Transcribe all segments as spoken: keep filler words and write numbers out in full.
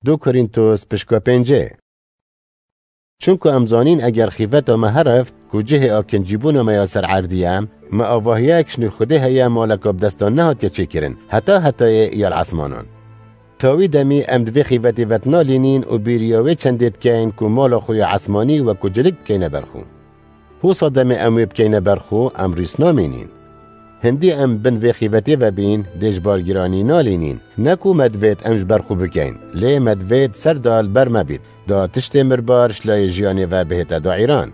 Du Korîntos pişka pêncê. Çunku em zanîn eger xîveta me herift ku cihê akincîbûna me ya ser erdî ye, me avahiyek ji nû Xwedê heye maleka bi destan nehatiye çêkirin, heta hetayê ya li esmanan. Ta wî demî em di vê xîvetê ve dinalînîn û bîriya wê çendê dikeyn ku mala xwe ya esmanî wekû cilik bikeyne ber xwe. Hosa demê em wê bikeyne ber xwe, em rîs namînîn. Hindî em bin vê xîvetê ve bîn, dê ji bargiranî nalînîn. Ne ku me divêt em ji ber xwe bikeyn, lê me divêt ser da li ber me bît, da tiştê mirbar ji layê jiyanê ve bihête dayîran.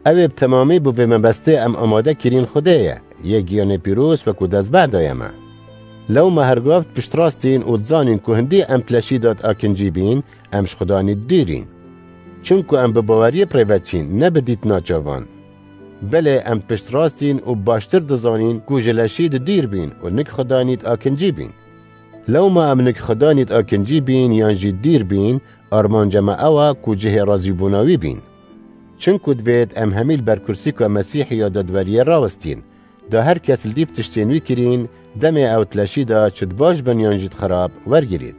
Ew ê bi temamî bo vê mebestê em amade kirîn Xwedê ye, yê giyanê pîroz wekû destbeh daye me. Lewma hergav piştrastîn û dizanîn ku hindî em tileşî da di akincî bîn, em ji Xudanî dûrîn. Çunku em bi baweriyê bi rê ve çîn, ne bi dîtina çavan. Belê em piştrastîn û baştir dizanîn ku ji leşî di dûr bîn û nik Xudanî di akincî bîn. Lewma em nik Xudanî di akincî bîn yan jî dûr bîn, armanca me ew e ku cihê razîbûna wî bîn. Çunku divêt em hemî li ber kursîka Mesîhî ya dadweriyê rawestîn. Da her kes li dîv tiştên wî kirîn, demê ew tileşî da çi di baş bin yan jî di xirab wergirît.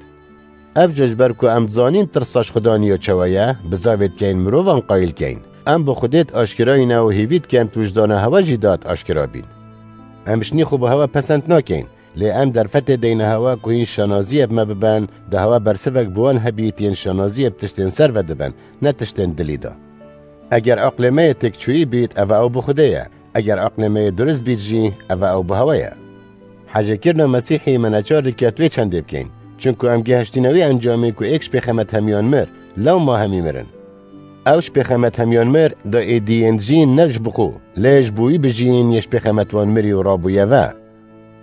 Ev jî ji ber ku em dizanîn tirsa ji Xudanî ya çawa ye, bizavê dikeyn mirovan qayîl keyn. Em bi Xwedê di aşkirayî ne û hêvî dikin tu ji dana hewa jî da di aşkira bîn. Em ji nî xwe bi hewa pesend nakeyn, lê em derfetê deyne hewa ku hîn şanaziyê bi me bibin, da hewa bersivek bi wan hebît yên şanaziyê bi tiştên ser ve dibin, ne tiştên dilî de. Eger aqlê me yê têkçûyî bît, ev ew bi Xwedê ye. Eger aqlê me yê durist bît jî, ev ew bi hewa ye. Hejêkirina Mesîhî me neçar dike tu wê çendê bikeyn. Çunku em gihiştîne wê encamê ku êk ji pêxemet hemiyan mir, lewma hemî mirin. Ew ji pêxemet hemiyan mir, da êdî yên dijîn ne ji bi xwe, lê ji bo wî bijîn yê ji pêxemet wan mirî û rabûye ve.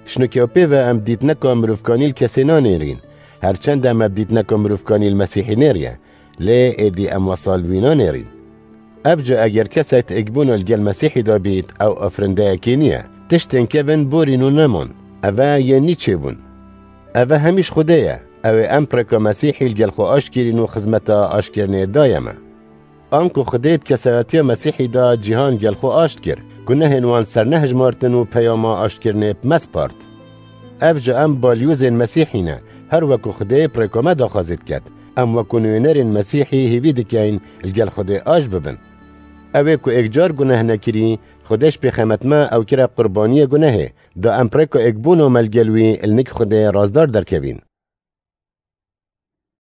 Ji nûke û pê ve em dîtneka mirovkanî li kesê nanêrîn. Her çend em ev dîtneka mirovkanî li Mesîhî nêriye, lê êdî em wesal wî nanêrîn. Ev jî eger kesek di êkbûna li gel Mesîhî de bît, ew afirindeyekê niye. Tiştên kevin borîn û neman. Eve yên nî çêbûn. Eve hemî ji Xwedê ye. Ew ê em bi rêka Mesîhî li gel xwe aşt kirîn û xizmeta aştkirinê daye me. Anku Xwedê di kesayetiya Mesîhî de cîhan gel xwe aşt kir, gunehên wan ser nehijmartin û peyama aştkirinê bi me spart. Ev jî em balyozên Mesîhî ne, her weku Xwedê bi rêka me daxwazê diket. Em weku nûnerên Mesîhî hêvî dikeyn li gel Xwedê aşt bibin. Ew ê ku êkcar guneh nekirî, Xwedê ji pêxemet me ew kire qurbaniyê gunehê, da em bi rêka êkbûna me li gel wî li nik Xwedê razdar derkevîn.